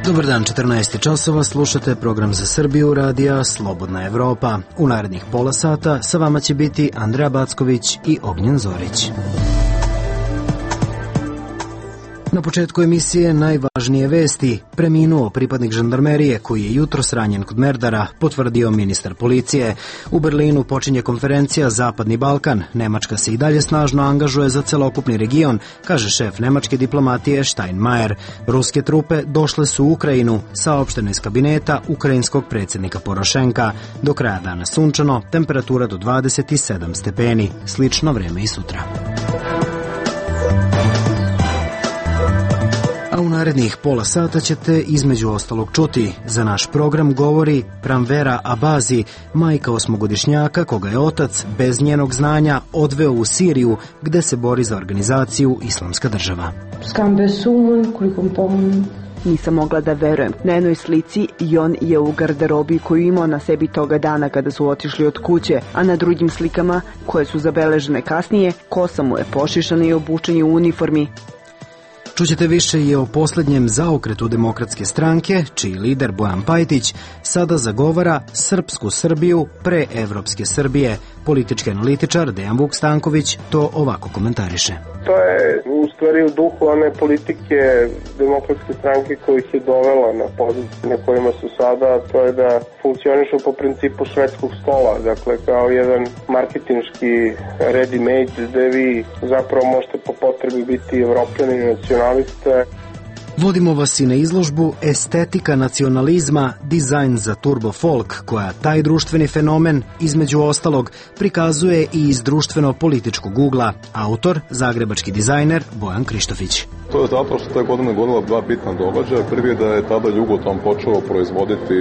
Dobar dan, 14 časova, slušate program za Srbiju radija Slobodna Evropa. U narednih pola sata sa vama će biti Andreja Backović i Ognjen Zorić. Na početku emisije najvažnije vesti. Preminuo pripadnik žandarmerije koji je jutros ranjen kod Merdara, potvrdio ministar policije. U Berlinu počinje konferencija Zapadni Balkan. Nemačka se i dalje snažno angažuje za celokupni region, kaže šef nemačke diplomatije Steinmeier. Ruske trupe došle su u Ukrajinu, saopšteno iz kabineta ukrajinskog predsjednika Porošenka. Do kraja dana sunčano, temperatura do 27 stepeni. Slično vreme i sutra. U narednih pola sata ćete između ostalog čuti. Za naš program govori Pranvera Abazi, majka osmogodišnjaka koga je otac bez njenog znanja odveo u Siriju gde se bori za organizaciju Islamska država. Nisam mogla da verujem. Na jednoj slici Jon je u garderobi koju imao na sebi toga dana kada su otišli od kuće, a na drugim slikama, koje su zabeležene kasnije, kosa mu je pošišana i obučen je u uniformi. Čućete više i o posljednjem zaokretu Demokratske stranke, čiji lider Bojan Pajtić sada zagovara srpsku Srbiju pre evropske Srbije. Politički analitičar Dejan Vuk Stanković to ovako komentariše. To je u stvari u duhu one politike Demokratske stranke koja ih je dovela na pozicije na kojima su sada, to je da funkcionišu po principu švedskog stola, dakle kao jedan marketinški ready-made gde vi zapravo možete po potrebi biti evropljani i nacionaliste. Vodimo vas i na izložbu Estetika nacionalizma, dizajn za turbo folk, koja taj društveni fenomen, između ostalog, prikazuje i iz društveno-političkog ugla. Autor, zagrebački dizajner Bojan Krištofić. To je zato što te godine godila dva bitna događaja. Prvi je da je tada Jugoton počeo proizvoditi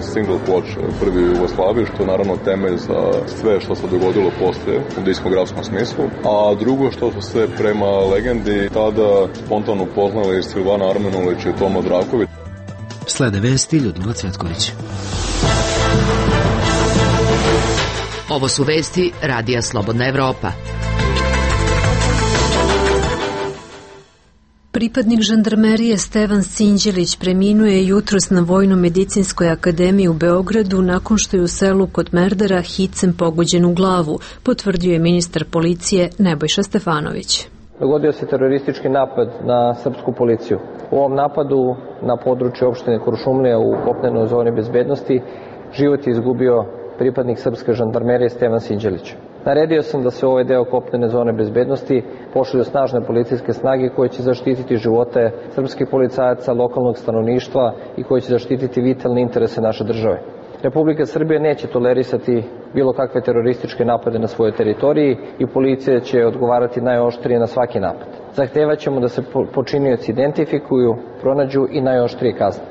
single ploč prvi u Jugoslaviji, što je naravno temelj za sve što se dogodilo poslije u diskografskom smislu. A drugo što su se prema legendi tada spontano upoznali Silvana Armenulić i Toma Draković. Slede vesti Ljudmila Cvjetković. Ovo su vesti radija Slobodna Evropa. Pripadnik žandarmerije Stevan Sinđelić preminuo je jutros na Vojno-medicinskoj akademiji u Beogradu nakon što je u selu kod Merdara hicem pogođen u glavu, potvrdio je ministar policije Nebojša Stefanović. Dogodio se teroristički napad na srpsku policiju. U ovom napadu na području opštine Kuršumlija u kopnenoj zoni bezbednosti život je izgubio pripadnik srpske žandarmerije Stevan Sinđelić. Naredio sam da se u ovaj deo kopnene zone bezbednosti pošalju snažne policijske snage koje će zaštititi živote srpskih policajaca, lokalnog stanovništva i koje će zaštititi vitalne interese naše države. Republika Srbija neće tolerisati bilo kakve terorističke napade na svojoj teritoriji i policija će odgovarati najoštrije na svaki napad. Zahtevaćemo da se počinioci identifikuju, pronađu i najoštrije kazne.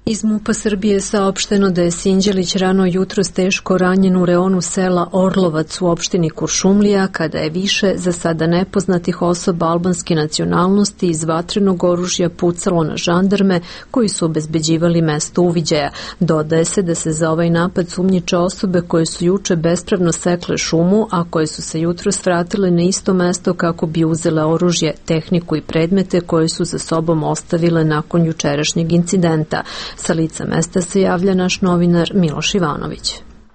Iz MUP-a Srbije je saopšteno da je Sinđelić rano jutros teško ranjen u reonu sela Orlovac u opštini Kuršumlija, kada je više za sada nepoznatih osoba albanske nacionalnosti iz vatrenog oružja pucalo na žandarme koji su obezbeđivali mesto uviđaja. Dodaje se da se za ovaj napad sumnjiče osobe koje su juče bespravno sekle šumu, a koje su se jutros vratile na isto mesto kako bi uzele oružje, tehniku i predmete koje su za sobom ostavile nakon jučerašnjeg incidenta. Sa lica mesta se javlja naš novinar Miloš Ivanović.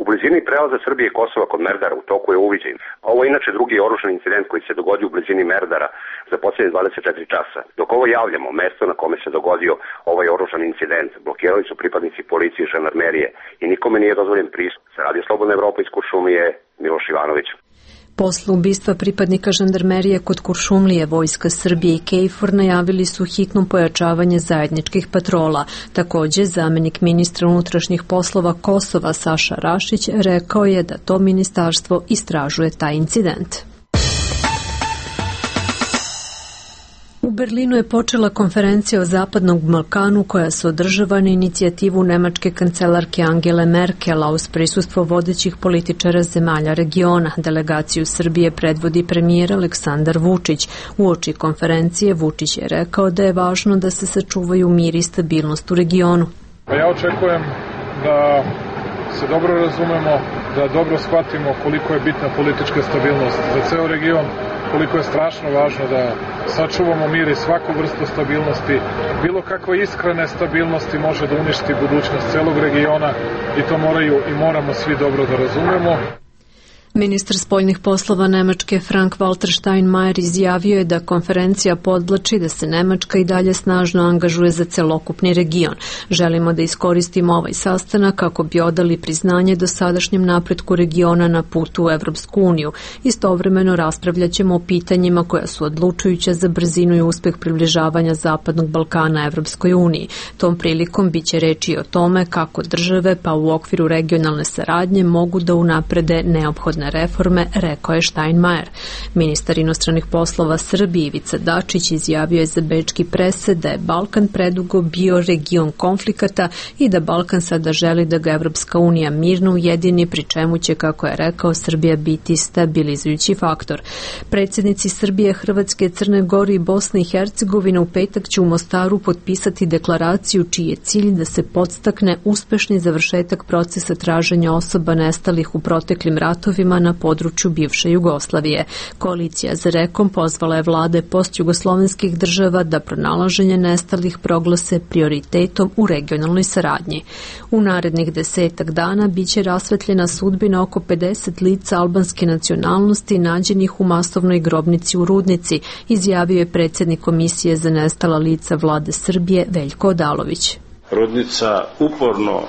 U blizini prelaza Srbije i Kosova kod Merdara u toku je uviđaj. Ovo je inače drugi oružani incident koji se dogodio u blizini Merdara za posljednje 24 časa. Dok ovo javljamo, mesto na kome se dogodio ovaj oružani incident blokirali su pripadnici policije i žandarmerije i nikome nije dozvoljen pristup. Sa Radio Slobodna Evropa iz Kuršumlije, Miloš Ivanović. Posle ubistva pripadnika žandarmerije kod Kuršumlije, Vojska Srbije i KFOR najavili su hitno pojačavanje zajedničkih patrola. Također, zamenik ministra unutrašnjih poslova Kosova Saša Rašić rekao je da to ministarstvo istražuje taj incident. U Berlinu je počela konferencija o Zapadnom Balkanu koja se održava na inicijativu nemačke kancelarke Angele Merkel, a uz prisustvo vodećih političara zemalja regiona. Delegaciju Srbije predvodi premijer Aleksandar Vučić. Uoči konferencije Vučić je rekao da je važno da se sačuvaju mir i stabilnost u regionu. Ja očekujem da se dobro razumemo, da dobro shvatimo koliko je bitna politička stabilnost za ceo region, koliko je strašno važno da sačuvamo mir i svaku vrstu stabilnosti. Bilo kakva iskra nestabilnosti može da uništi budućnost celog regiona i to moramo svi dobro da razumemo. Ministar spoljnih poslova Nemačke Frank-Walter Steinmeier izjavio je da konferencija podvlači da se Nemačka i dalje snažno angažuje za celokupni region. Želimo da iskoristimo ovaj sastanak kako bi odali priznanje dosadašnjem napretku regiona na putu u Evropsku uniju. Istovremeno raspravljaćemo o pitanjima koja su odlučujuća za brzinu i uspeh približavanja Zapadnog Balkana Evropskoj uniji. Tom prilikom biće reči o tome kako države pa u okviru regionalne saradnje mogu da unaprede neophodne reforme, rekao je Steinmeier. Ministar inostranih poslova Srbije Ivica Dačić izjavio je za bečki presed da je Balkan predugo bio region konflikata i da Balkan sada želi da ga Evropska unija mirno ujedini, pri čemu će, kako je rekao, Srbija biti stabilizujući faktor. Predsjednici Srbije, Hrvatske, Crne Gore i Bosne i Hercegovine u petak će u Mostaru potpisati deklaraciju čiji je cilj da se podstakne uspešni završetak procesa traženja osoba nestalih u proteklim ratovima na području bivše Jugoslavije. Koalicija za Rekom pozvala je vlade postjugoslovenskih država da pronalaženje nestalih proglase prioritetom u regionalnoj saradnji. U narednih 10 dana biće rasvetljena sudbina oko 50 lica albanske nacionalnosti nađenih u masovnoj grobnici u Rudnici, izjavio je predsjednik Komisije za nestala lica vlade Srbije Veljko Odalović. Rudnica uporno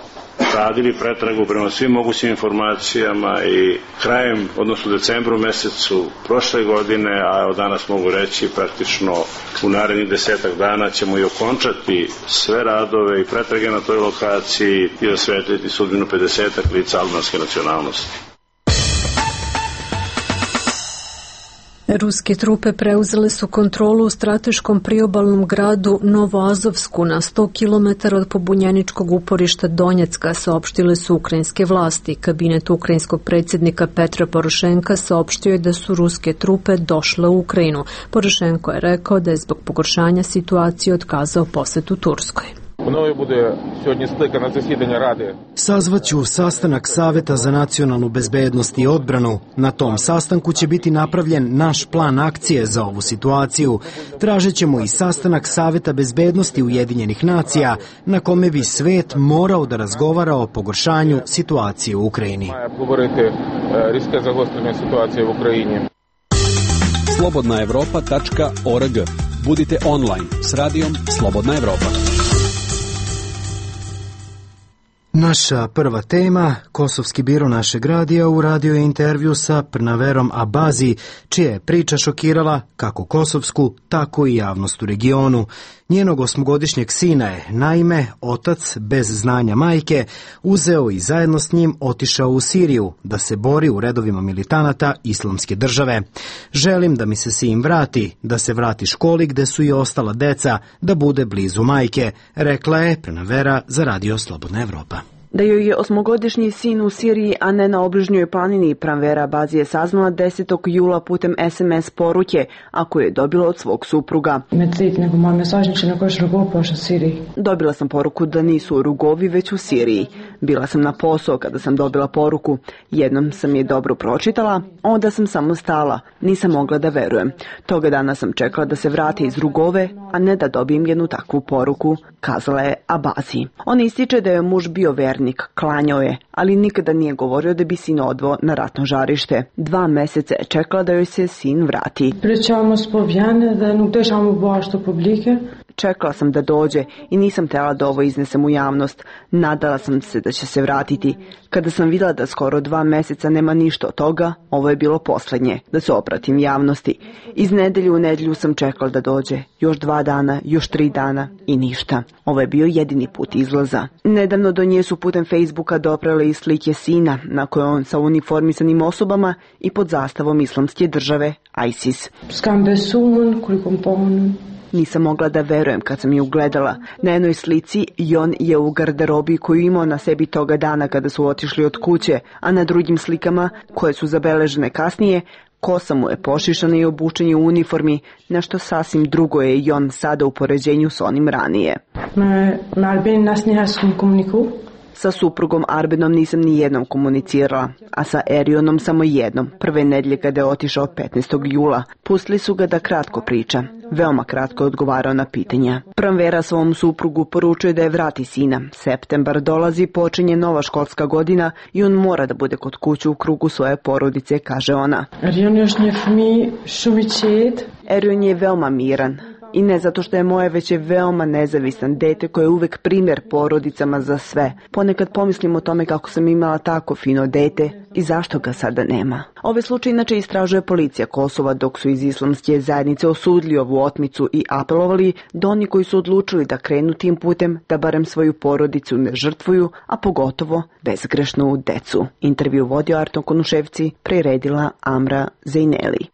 radili pretragu prema svim mogućim informacijama i krajem, odnosno decembru mesecu prošle godine, a od danas mogu reći praktično u narednih 10 dana ćemo i okončati sve radove i pretrage na toj lokaciji i osvetliti sudbinu 50 lica albanske nacionalnosti. Ruske trupe preuzele su kontrolu u strateškom priobalnom gradu Novoazovsku na 100 km od pobunjeničkog uporišta Donjecka, saopštile su ukrajinske vlasti. Kabinet ukrajinskog predsjednika Petra Porošenka saopštio je da su ruske trupe došle u Ukrajinu. Porošenko je rekao da je zbog pogoršanja situacije otkazao posetu Turskoj. Sazvaću sastanak Saveta za nacionalnu bezbednost i odbranu. Na tom sastanku će biti napravljen naš plan akcije za ovu situaciju. Tražit ćemo i sastanak Saveta bezbednosti Ujedinjenih nacija na kome bi svet morao da razgovara o pogoršanju situacije u Ukrajini. slobodnaevropa.org. Budite online s radijom Slobodna Evropa. Naša prva tema, kosovski biro našeg radija uradio je intervju sa Prnaverom Abazi, čija je priča šokirala kako kosovsku, tako i javnost u regionu. Njenog 8-godišnjeg sina je, naime, otac, bez znanja majke, uzeo i zajedno s njim otišao u Siriju da se bori u redovima militanata Islamske države. Želim da mi se sin vrati, da se vrati školi gde su i ostala deca, da bude blizu majke, rekla je Prnavera za Radio Slobodna Evropa. Da joj je 8-godišnji sin u Siriji, a ne na obližnjoj planini, Pranvera Abazi je saznala 10. jula putem SMS poruke, a koju je dobila od svog supruga. Dobila sam poruku da nisu u Rugovi, već u Siriji. Bila sam na posao kada sam dobila poruku. Jednom sam je dobro pročitala, onda sam samo stala. Nisam mogla da verujem. Toga dana sam čekala da se vrati iz Rugove, a ne da dobijem jednu takvu poruku, kazala je Abazi. On ističe da je muž bio vernik, klanjao je, ali nikada nije govorio da bi sin odveo na ratno žarište. 2 meseca je čekala da joj se sin vrati. Čekala sam da dođe i nisam htjela da ovo iznesem u javnost. Nadala sam se da će se vratiti. Kada sam vidjela da skoro 2 meseca nema ništa od toga, ovo je bilo posljednje, da se obratim javnosti. Iz nedelje u nedelju sam čekala da dođe. Još 2 dana, još 3 dana i ništa. Ovo je bio jedini put izlaza. Nedavno do nje su putem Facebooka doprele i slike sina, na kojoj on sa uniformisanim osobama i pod zastavom Islamske države, ISIS. Nisam mogla da verujem kad sam ju ugledala. Na jednoj slici Jon je u garderobi koju imao na sebi toga dana kada su otišli od kuće, a na drugim slikama, koje su zabeležene kasnije, kosa mu je pošišana i obučen je u uniformi, nešto sasvim drugo je Jon sada u poređenju s onim ranije. Sa suprugom Arbenom nisam ni jednom komunicirala, a sa Erionom samo jednom, prve nedelje kada je otišao 15. jula. Pustili su ga da kratko priča. Veoma kratko je odgovarao na pitanja. Pranvera svom suprugu poručuje da je vrati sina. Septembar dolazi, počinje nova školska godina i on mora da bude kod kuće u krugu svoje porodice, kaže ona. Erion je veoma miran. I ne zato što je moje, već je veoma nezavisan dete koje je uvek primjer porodicama za sve. Ponekad pomislim o tome kako sam imala tako fino dete i zašto ga sada nema. Ove slučaje inače istražuje policija Kosova, dok su iz islamske zajednice osudili ovu otmicu i apelovali da oni koji su odlučili da krenu tim putem, da barem svoju porodicu ne žrtvuju, a pogotovo bezgrešnu decu. Intervju vodio Arton Konuševci, priredila Amra Zejneli.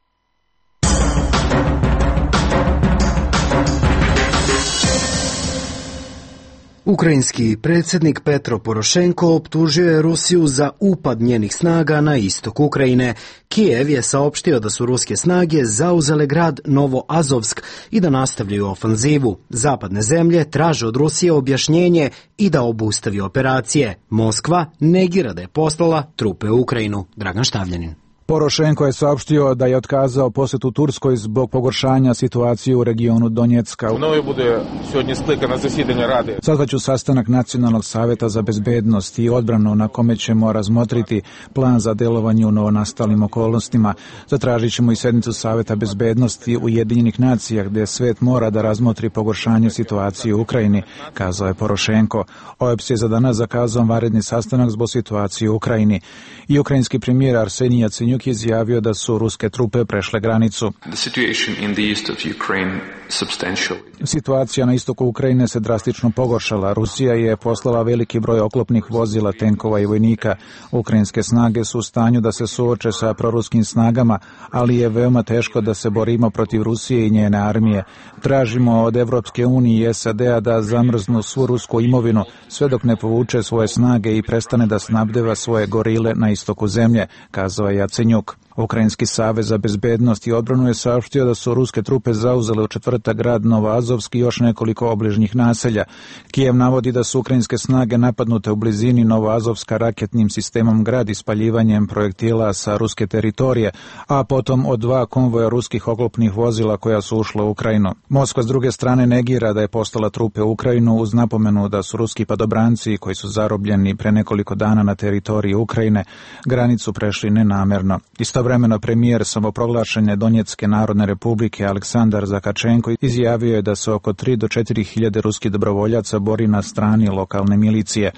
Ukrajinski predsjednik Petro Porošenko optužio je Rusiju za upad njenih snaga na istok Ukrajine. Kijev je saopštio da su ruske snage zauzele grad Novoazovsk i da nastavljaju ofanzivu. Zapadne zemlje traže od Rusije objašnjenje i da obustavi operacije. Moskva negira da je poslala trupe u Ukrajinu. Dragan Štavljanin. Porošenko je saopštio da je otkazao posjetu Turskoj zbog pogoršanja situacije u regionu Donjecka. Sazvaću sastanak Nacionalnog savjeta za bezbednost i odbranu na kome ćemo razmotriti plan za delovanje u novonastalim okolnostima. Zatražit ćemo i sednicu Savjeta bezbednosti Ujedinjenih nacija gdje svet mora da razmotri pogoršanje situacije u Ukrajini, kazao je Porošenko. OEBS je za danas zakazao vanredni sastanak zbog situacije u Ukrajini. I ukrajinski premijer Arsenij Jacenjuk izjavio da su ruske trupe prešle granicu. Situacija na istoku Ukrajine se drastično pogoršala. Rusija je poslala veliki broj oklopnih vozila, tenkova i vojnika. Ukrajinske snage su u stanju da se suoče sa proruskim snagama, ali je veoma teško da se borimo protiv Rusije i njene armije. Tražimo od Evropske unije i SAD-a da zamrznu svu rusku imovinu, sve dok ne povuče svoje snage i prestane da snabdeva svoje gorile na istoku zemlje, kazao je Jacenjuk. Ukrajinski savez za bezbednost i odbranu je saopštio da su ruske trupe zauzele u četvrtak grad Novoazovsk i još nekoliko obližnjih naselja. Kijev navodi da su ukrajinske snage napadnute u blizini Novoazovska raketnim sistemom grad ispaljivanjem projektila sa ruske teritorije, a potom od 2 konvoja ruskih oklopnih vozila koja su ušla u Ukrajinu. Moskva s druge strane negira da je poslala trupe u Ukrajinu uz napomenu da su ruski padobranci koji su zarobljeni pre nekoliko dana na teritoriji Ukrajine granicu prešli nenamerno. Istovremeno premijer samoproglašene Donjecke narodne republike Aleksandar Zakačenko izjavio je da se oko 3 do 4 hiljade ruskih dobrovoljaca bori na strani lokalne milicije.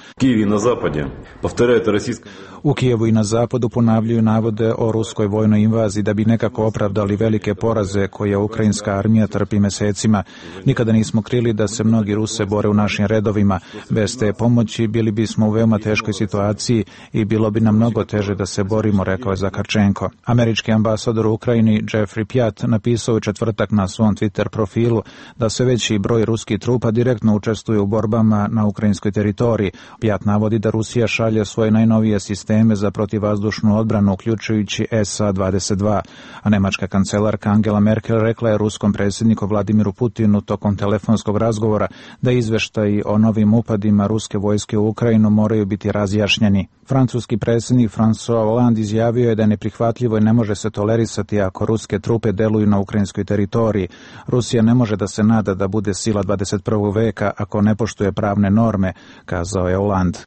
U Kijevu i na zapadu ponavljaju navode o ruskoj vojnoj invaziji da bi nekako opravdali velike poraze koje ukrajinska armija trpi mesecima. Nikada nismo krili da se mnogi Ruse bore u našim redovima. Bez te pomoći bili bismo u veoma teškoj situaciji i bilo bi nam mnogo teže da se borimo, rekao je Zakačenko. Američki ambasador u Ukrajini Jeffrey Pjat napisao u četvrtak na svom Twitter profilu da sve veći broj ruskih trupa direktno učestvuje u borbama na ukrajinskoj teritoriji. Pjat navodi da Rusija šalje svoje najnovije sisteme za protivvazdušnu odbranu, uključujući SA-22, a nemačka kancelarka Angela Merkel rekla je ruskom predsjedniku Vladimiru Putinu tokom telefonskog razgovora da izveštaji o novim upadima ruske vojske u Ukrajinu moraju biti razjašnjeni. Francuski predsjednik François Hollande izjavio je da je neprihvatljivo i ne može se tolerisati ako ruske trupe deluju na ukrajinskoj teritoriji. Rusija ne može da se nada da bude sila 21. veka ako ne poštuje pravne norme, kazao je Hollande.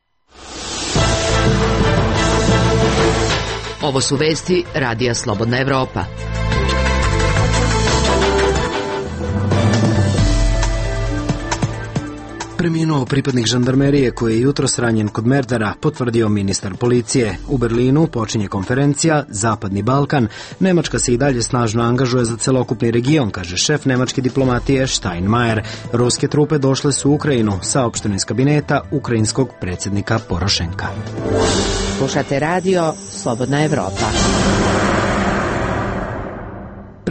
Ovo su vesti Radija Slobodna Evropa. Preminuo pripadnik žandarmerije koji je jutros ranjen kod Merdara, potvrdio ministar policije. U Berlinu počinje konferencija Zapadni Balkan. Nemačka se i dalje snažno angažuje za celokupni region, kaže šef nemačke diplomatije Steinmeier. Ruske trupe došle su u Ukrajinu, saopšteno iz kabineta ukrajinskog predsjednika Porošenka. Slušate radio Slobodna Evropa.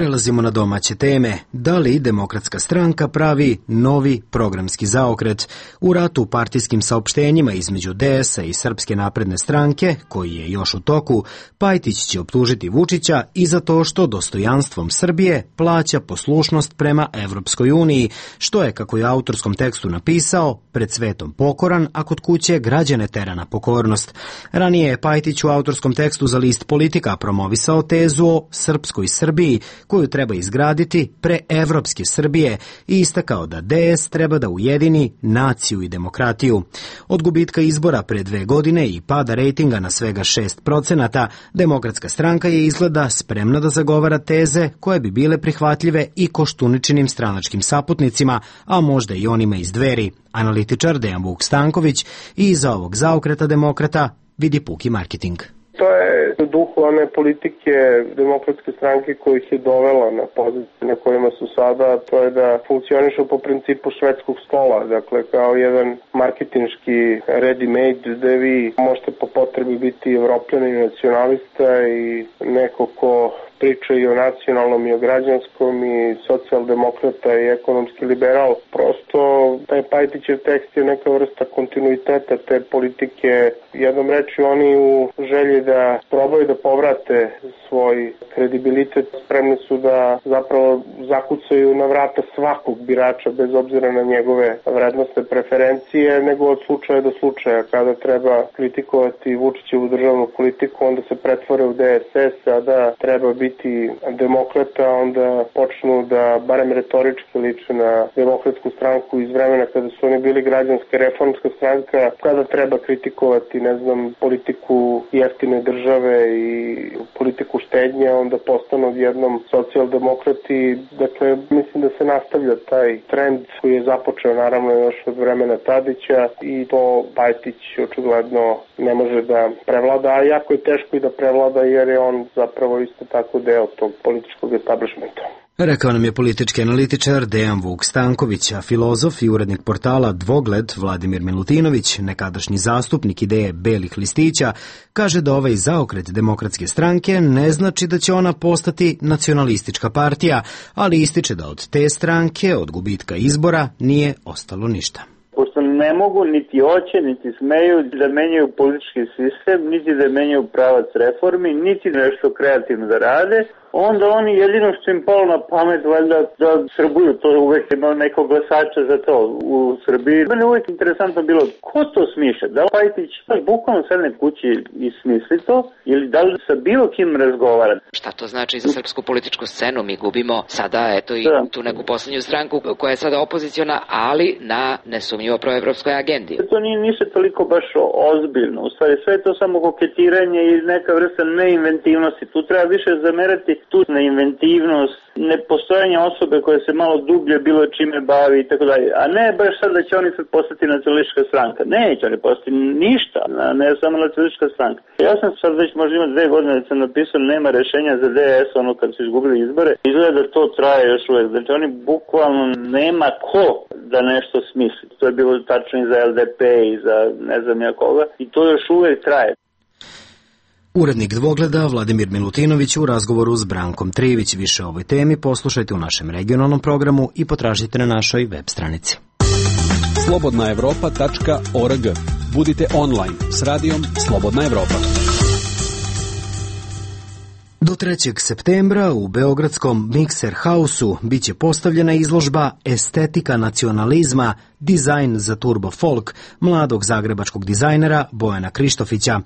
Prelazimo na domaće teme. Da li Demokratska stranka pravi novi programski zaokret? U ratu partijskim saopštenjima između DS-a i Srpske napredne stranke, koji je još u toku, Pajtić će optužiti Vučića i za to što dostojanstvom Srbije plaća poslušnost prema Evropskoj uniji, što je, kako je u autorskom tekstu napisao, pred svetom pokoran, a kod kuće građane tera na pokornost. Ranije je Pajtić u autorskom tekstu za list Politika promovisao tezu o srpskoj Srbiji, koju treba izgraditi pre evropske Srbije i istakao da DS treba da ujedini naciju i demokratiju. Od gubitka izbora pre 2 godine i pada rejtinga na svega 6%, Demokratska stranka je izgleda spremna da zagovara teze koje bi bile prihvatljive i Koštuničinim stranačkim saputnicima, a možda i onima iz Dveri. Analitičar Dejan Vuk Stanković i iza ovog zaokreta demokrata vidi puki marketing. To je u duhu one politike Demokratske stranke koja ih je dovela na pozicije na kojima su sada, to je da funkcionišu po principu švedskog stola, dakle kao jedan marketinški ready-made gde vi možete po potrebi biti evropljanin i nacionalista i neko ko priča i o nacionalnom i o građanskom i socijaldemokrata i ekonomski liberal. Prosto taj Pajtićev tekst je neka vrsta kontinuiteta te politike. Jednom reči oni u želji da probaju da povrate svoj kredibilitet, spremni su da zapravo zakucaju na vrata svakog birača bez obzira na njegove vrednostne preferencije, nego od slučaja do slučaja. Kada treba kritikovati Vučićevu državnu politiku, onda se pretvore u DSS, a da treba biti demokrata, onda počnu da barem retorički liče na Demokratsku stranku iz vremena kada su oni bili građanska reformska stranka, kada treba kritikovati, politiku jeftine države i politiku štednje, onda postanu odjednom socijaldemokrati. Dakle, mislim da se nastavlja taj trend koji je započeo naravno još od vremena Tadića i to Pajtić očigledno ne može da prevlada, a jako je teško i da prevlada jer je on zapravo isto tako deo tog političkog establishmenta. Rekao nam je politički analitičar Dejan Vuk Stanković, a filozof i urednik portala Dvogled Vladimir Milutinović, nekadašnji zastupnik ideje belih listića, kaže da ovaj zaokret Demokratske stranke ne znači da će ona postati nacionalistička partija, ali ističe da od te stranke, od gubitka izbora, nije ostalo ništa. Pošto ne mogu, niti hoće, niti smeju da menjaju politički sistem, niti da menjaju pravac reformi, niti nešto kreativno da rade, onda oni jedino što im palo na pamet, valjda da Srbuju, to uvek ima nekog glasača za to u Srbiji. Mene uvek interesantno bilo, ko to smišlja? Da li Pajtić bukvalno sedne kući i smisli to, ili da li sa bilo kim razgovara? Šta to znači za srpsku političku scenu? Mi gubimo sada, eto, i tu neku poslednju stranku koja je sada opoziciona, ali na nesumnjivo proevropskoj agendi. To nije ništa toliko baš ozbiljno. U stvari sve je to samo koketiranje i neka vrsta neinventivnosti. Tu treba više zamerati tu neinventivnost, nepostojanje osobe koja se malo dublje bilo čime bavi i tako dalje. A ne baš sad da će oni sad postati nacionalistička stranka. Neće oni postati ništa, ne samo nacionalistička stranka. Ja sam sad već možda ima 2 godine da sam napisao nema rešenja za DS, ono kad su izgubili izbore. Izgleda da to traje još uvek. Znači oni bukvalno nema ko da nešto smisli. To je bilo tačno i za LDP i za ne znam ja koga i to još uvek traje. Urednik Dvogleda Vladimir Milutinović u razgovoru s Brankom Trivić. Više o ovoj temi poslušajte u našem regionalnom programu i potražite na našoj web stranici. slobodnaevropa.org. Budite online s radijom Slobodna Evropa. Do 3. septembra u beogradskom Mikser Hausu biće postavljena izložba Estetika nacionalizma, dizajn za turbo folk mladog zagrebačkog dizajnera Bojana Krištofića.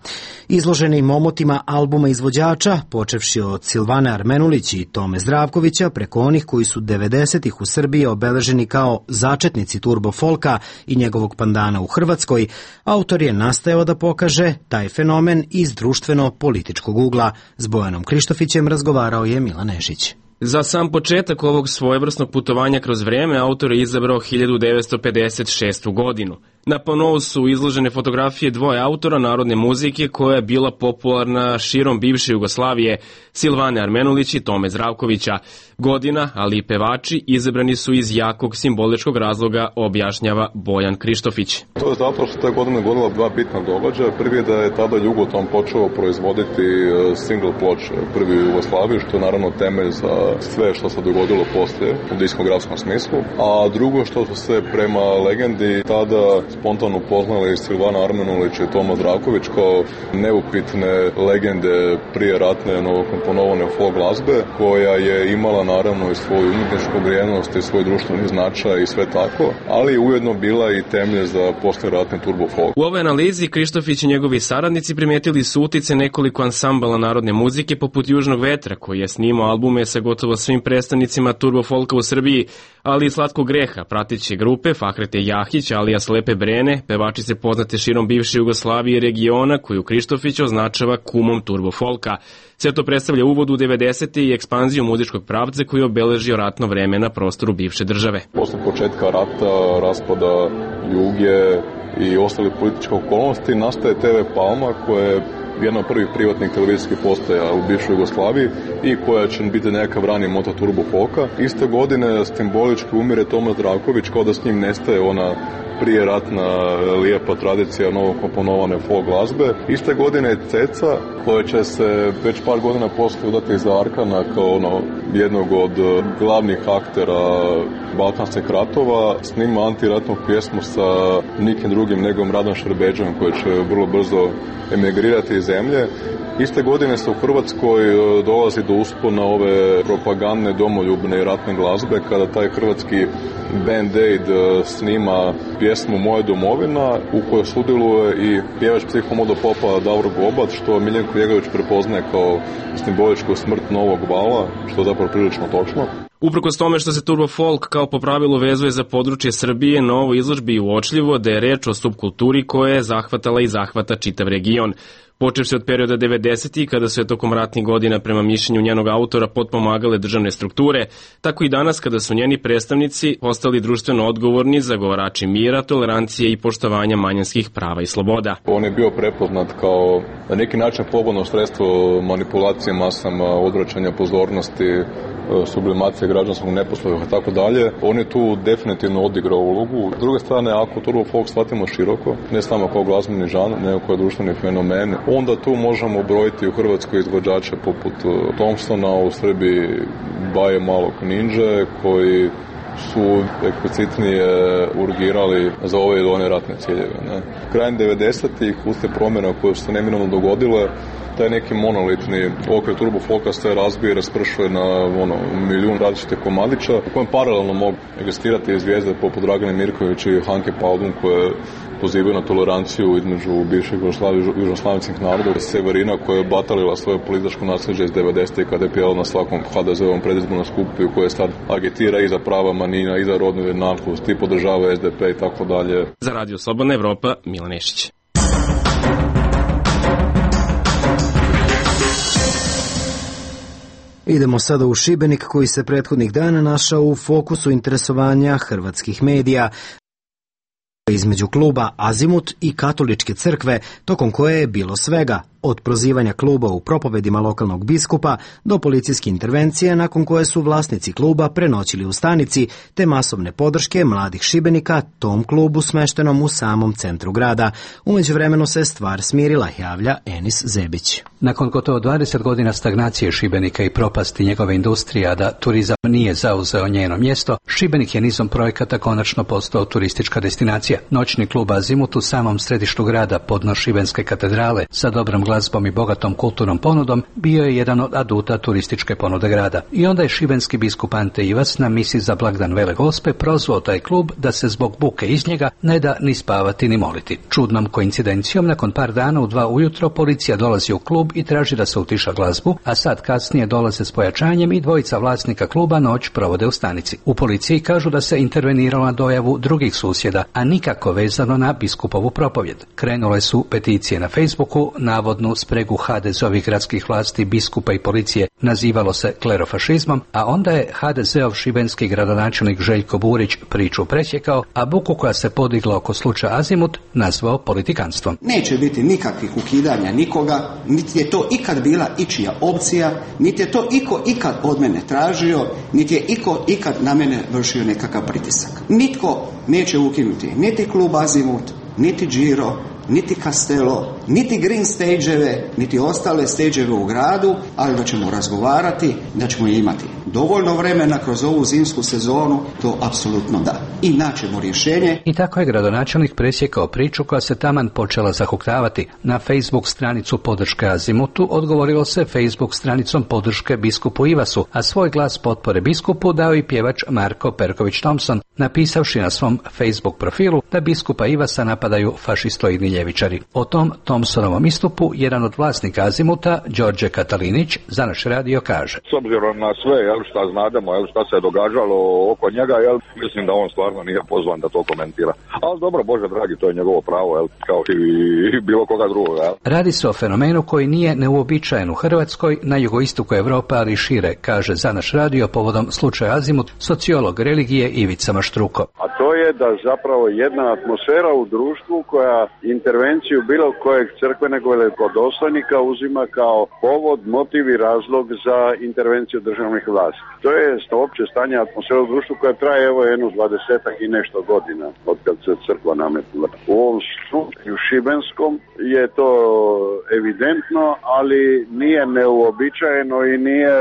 Izloženim omotima albuma izvođača, počevši od Silvane Armenulić i Tome Zdravkovića, preko onih koji su 90-ih u Srbiji obeleženi kao začetnici turbo folka i njegovog pandana u Hrvatskoj, autor je nastajao da pokaže taj fenomen iz društveno-političkog ugla. S Bojanom Krištofićem razgovarao je Milan Nešić. Za sam početak ovog svojevrsnog putovanja kroz vreme autor je izabrao 1956. godinu. Na panou su izložene fotografije dvoje autora narodne muzike koja je bila popularna širom bivše Jugoslavije, Silvane Armenulić i Tome Zdravkovića. Godina, ali i pevači izabrani su iz jakog simboličkog razloga, objašnjava Bojan Krištofić. To je zato što te godine godila dva bitna događaja. Prvi je da je tada Jugoton počeo proizvoditi single ploče prvi u Jugoslaviji, što je naravno temelj za sve što se dogodilo poslije u diskografskom smislu. A drugo što su se prema legendi tada spontano upoznali Silvana Armenulić i Toma Zdravković kao neupitne legende prije ratne novokomponovane folk glazbe, koja je imala naravno i svoju umjetničku vrijednost i svoj društveni značaj i sve tako, ali ujedno bila i temelj za posleratni turbo folk. U ovoj analizi Krištofić i njegovi saradnici primetili su utice nekoliko ansambala narodne muzike poput Južnog vetra, koji je snimao albume sa gotovo svim predstavnicima turbo folka u Srbiji, ali i Slatkog greha, prateće grupe Fahrete Jahić, alijas Lepe Brene, pevačice poznate širom bivše Jugoslavije i regiona, koju Krištofić označava kumom turbo folka. Sve to predstavlja uvod u 90. i ekspanziju muzičkog pravca koji je obeležio ratno vreme na prostoru bivše države. Posle početka rata, raspada Juge i ostalih političkih okolnosti nastaje TV Palma, koja je jedna od prvih privatnih televizijskih postaja u bivšoj Jugoslaviji i koja će biti nekakav rani moto turbo folka. Iste godine simbolički umire Toma Zdravković, kao da s njim nestaje ona prije ratna lijepa tradicija novokomponovane folk glazbe. Iste godine je Ceca, koja će se već par godina poslije udati za Arkana kao jednog od glavnih aktera balkanskih ratova, snima antiratnu pjesmu sa nikim drugim nego Radan Šerbeđom, koji će vrlo brzo emigrirati iz zemlje. Iste godine se u Hrvatskoj dolazi do uspona ove propagandne, domoljubne i ratne glazbe, kada taj hrvatski Band Aid snima pjesmu Moja domovina, u kojoj sudjeluje i pjevač psihomodopopa Davor Gobat, što Miljenko Jegović prepoznaje kao simboličku smrt novog vala, što je zapravo prilično točno. Uprkos tome što se turbo folk kao po pravilu vezuje za područje Srbije, na ovoj izložbi je uočljivo da je reč o subkulturi koja je zahvatala i zahvata čitav region. Počevši od perioda 90. kada su je tokom ratnih godina prema mišljenju njenog autora potpomagale državne strukture, tako i danas kada su njeni predstavnici postali društveno odgovorni zagovarači mira, tolerancije i poštovanja manjinskih prava i sloboda. On je bio prepoznat kao na neki način pogodno sredstvo manipulacije masama, odvraćanja pozornosti, sublimacije građanskog neposluha i tako dalje. On je tu definitivno odigrao ulogu. S druge strane, ako turbo folk shvatimo široko, ne samo kao glazbeni žanr, nego kao društveni fenomen, onda tu možemo brojiti u Hrvatskoj izvođače poput Thompsona, u Srbiji Baje Malog Ninja, koji su eksplicitnije urgirali za ove ili one ratne ciljeve. Krajem 90-ih, uslijed promjena koje su se neminovno dogodile, taj neki monolitni okvir turbo folka se razbije i raspršuje na milijun različitih komadića, u kojem paralelno mogu egzistirati i zvijezde poput Dragane Mirković i Hanke Paldun, koje pozivaju na toleranciju između bivših južnoslavenskih naroda, Severina koja je batalila svoje političko nasljeđe iz 90. kada je pjela na svakom HDZ-ovom predizbornom skupu u kojoj sad agitira i za prava manjina i za rodnu jednakost i podržava SDP i tako dalje. Za Radio Slobodna Evropa, Milan Nešić. Idemo sada u Šibenik, koji se prethodnih dana našao u fokusu interesovanja hrvatskih medija. Između kluba Azimut i katoličke crkve, tokom koje je bilo svega, od prozivanja kluba u propovedima lokalnog biskupa do policijske intervencije nakon koje su vlasnici kluba prenoćili u stanici, te masovne podrške mladih Šibenika tom klubu smeštenom u samom centru grada. U međuvremenu se stvar smirila, javlja Enis Zebić. Nakon gotovo 20 godina stagnacije Šibenika i propasti njegove industrije, a da turizam nije zauzeo njeno mjesto, Šibenik je nizom projekata konačno postao turistička destinacija. Noćni klub Azimut u samom središtu grada podno Šibenske katedrale sa dobrom glazbom i bogatom kulturnom ponudom bio je jedan od aduta turističke ponude grada. I onda je šibenski biskup Ante Ivac na misi za blagdan Vele Gospe prozvao taj klub da se zbog buke iz njega ne da ni spavati ni moliti. Čudnom koincidencijom, nakon par dana u 2 ujutro policija dolazi u klub i traži da se utiša glazbu, a sad kasnije dolaze s pojačanjem i dvojica vlasnika kluba noć provode u stanici. U policiji kažu da se interveniralo na dojavu drugih susjeda, a nikako vezano na biskupovu propovjed. Krenule su peticije na Facebooku, navodno uvodnu spregu HDZ-ovih gradskih vlasti, biskupa i policije nazivalo se klerofašizmom, a onda je HDZ-ov šibenski gradonačelnik Željko Burić priču presjekao, a buku koja se podigla oko slučaja Azimut nazvao politikanstvom. Neće biti nikakvih ukidanja nikoga, niti je to ikad bila ičija opcija, niti je to iko ikad od mene tražio, niti je iko ikad na mene vršio nekakav pritisak. Nitko neće ukinuti niti klub Azimut, niti Giro, niti Castello, niti Green Stage-eve, niti ostale stage-eve u gradu, ali da ćemo razgovarati, da ćemo imati dovoljno vremena kroz ovu zimsku sezonu, to apsolutno da. I naćemo rješenje. I tako je gradonačelnik presjekao priču koja se taman počela zahuktavati. Na Facebook stranicu podrške Azimutu odgovorilo se Facebook stranicom podrške biskupu Ivasu, a svoj glas potpore biskupu dao i pjevač Marko Perković-Thompson, napisavši na svom Facebook profilu da biskupa Ivasa napadaju fašistoidni ljevičari. O tom Thompsonovom istupu jedan od vlasnika Azimuta, Đorđe Katalinić, za naš radio kaže: S obzirom na sve, šta znademo, šta se je događalo oko njega, mislim da on stvarno nije pozvan da to komentira. Ali dobro, Bože dragi, to je njegovo pravo, kao i bilo koga drugog. Radi se o fenomenu koji nije neuobičajen u Hrvatskoj, na jugoistoku Evrope, ali i šire, kaže za naš radio povodom slučaja Azimut sociolog religije Ivica Maštruko. A to je da zapravo jedna atmosfera u društvu koja intervenciju bilo kojeg crkvenog velikodostojnika uzima kao povod, motiv i razlog za intervenciju državnih vlasti. To je opće stanje atmosfere u društvu koja traje jedno 20 i nešto godina od kad se crkva nametila. U ovom slučaju šibenskom je to evidentno, ali nije neuobičajeno i nije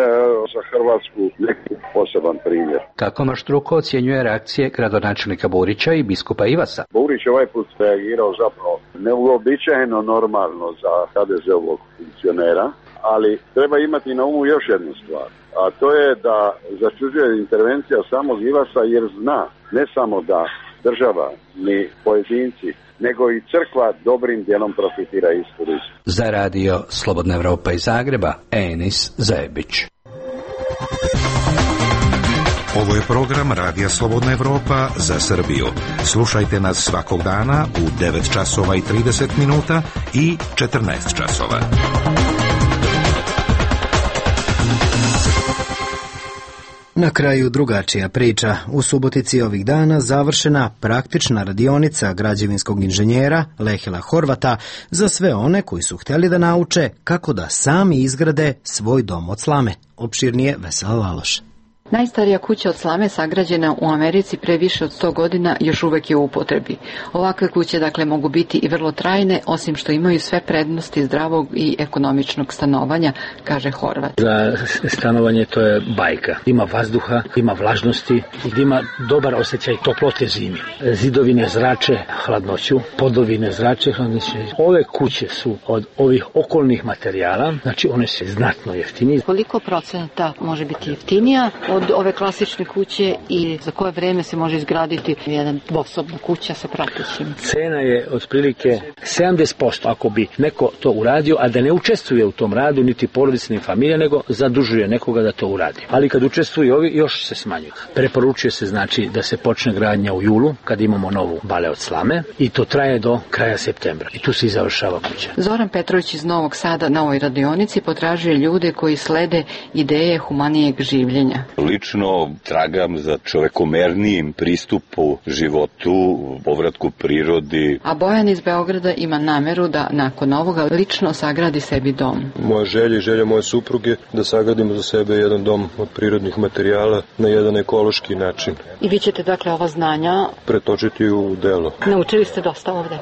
za Hrvatsku neki poseban primjer. Kako Maštruko ocjenjuje reakcije gradonačelnika Burića i biskupa Ivasa? Burić je ovaj put reagirao zapravo neuobičajeno normalno za HDZ-ovog funkcionera, ali treba imati na umu još jednu stvar, a to je da začuđuje intervencija samog Ivasa jer zna ne samo da država ni pojedinci, nego i crkva dobrim dijelom profitira iz turizma. Za radio Slobodna Evropa iz Zagreba, Enis Zajebić. Ovo je program Radija Slobodna Evropa za Srbiju. Slušajte nas svakog dana u 9 časova i 30 minuta i 14 časova. Na kraju drugačija priča. U Subotici ovih dana završena praktična radionica građevinskog inženjera Lehila Horvata za sve one koji su htjeli da nauče kako da sami izgrade svoj dom od slame. Opširnije Vesela Laloš. Najstarija kuća od slame sagrađena u Americi pre više od 100 godina još uvek je u upotrebi. Ovakve kuće dakle mogu biti i vrlo trajne, osim što imaju sve prednosti zdravog i ekonomičnog stanovanja, kaže Horvat. Za stanovanje to je bajka. Ima vazduha, ima vlažnosti i ima dobar osjećaj toplote zimi. Zidovi ne zrače hladnoću, podovi ne zrače hladnoću. Ove kuće su od ovih okolnih materijala, znači one su znatno jeftinije. Koliko procenta može biti jeftinija od ove klasične kuće i za koje vreme se može izgraditi jedna dvosobna kuća sa pratećim? Cena je otprilike 70% ako bi neko to uradio, a da ne učestvuje u tom radu niti porodica ni familija, nego zadužuje nekoga da to uradi. Ali kad učestvuju ovi, još se smanjuju. Preporučuje se znači da se počne gradnja u julu, kad imamo novu bale od slame, i to traje do kraja septembra. I tu se i završava kuća. Zoran Petrović iz Novog Sada na ovoj radionici potražuje ljude koji slede ideje humanijeg življenja. Lično tragam za čovekomernijim pristupu životu, povratku prirodi. A Bojan iz Beograda ima nameru da nakon ovoga lično sagradi sebi dom. Moja želja i želja moje supruge da sagradimo za sebe jedan dom od prirodnih materijala na jedan ekološki način. I vi ćete dakle ova znanja pretočiti u delo. Naučili ste dosta ovde?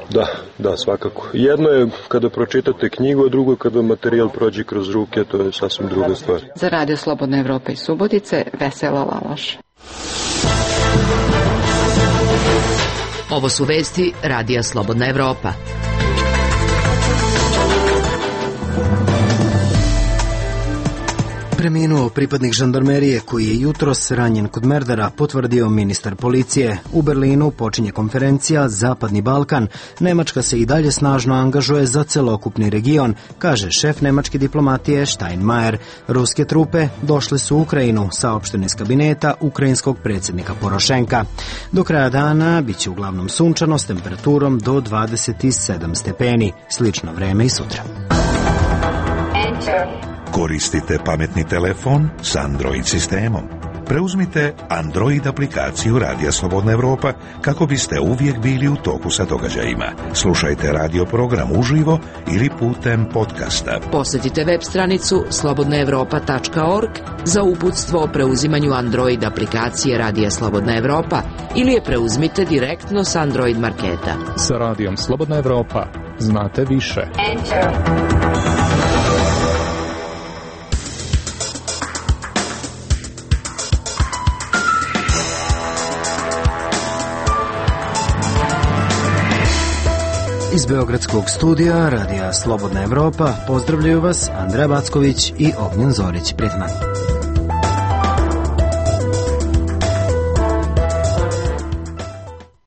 Da, svakako. Jedno je kada pročitate knjigu, a drugo kada materijal prođe kroz ruke, to je sasvim druga stvar. Za Radio Slobodna Evropa iz Subotice, Vesela Laloš. Ovo su vesti Radija Slobodna Evropa. Preminuo pripadnik žandarmerije koji je jutros ranjen kod Merdara, potvrdio ministar policije. U Berlinu počinje konferencija Zapadni Balkan. Nemačka se i dalje snažno angažuje za celokupni region, kaže šef nemačke diplomatije Steinmeier. Ruske trupe došle su u Ukrajinu, saopšteno iz kabineta ukrajinskog predsjednika Porošenka. Do kraja dana biće uglavnom sunčano s temperaturom do 27 stepeni. Slično vreme i sutra. Koristite pametni telefon s Android sistemom. Preuzmite Android aplikaciju Radija Slobodna Evropa kako biste uvijek bili u toku sa događajima. Slušajte radio program uživo ili putem podcasta. Posjetite web stranicu slobodnaevropa.org za uputstvo o preuzimanju Android aplikacije Radija Slobodna Evropa ili je preuzmite direktno s Android marketa. Sa Radijom Slobodna Evropa znate više. Iz Beogradskog studija Radija Slobodna Evropa pozdravljaju vas Andreja Backović i Ognjen Zorić. Prijatno.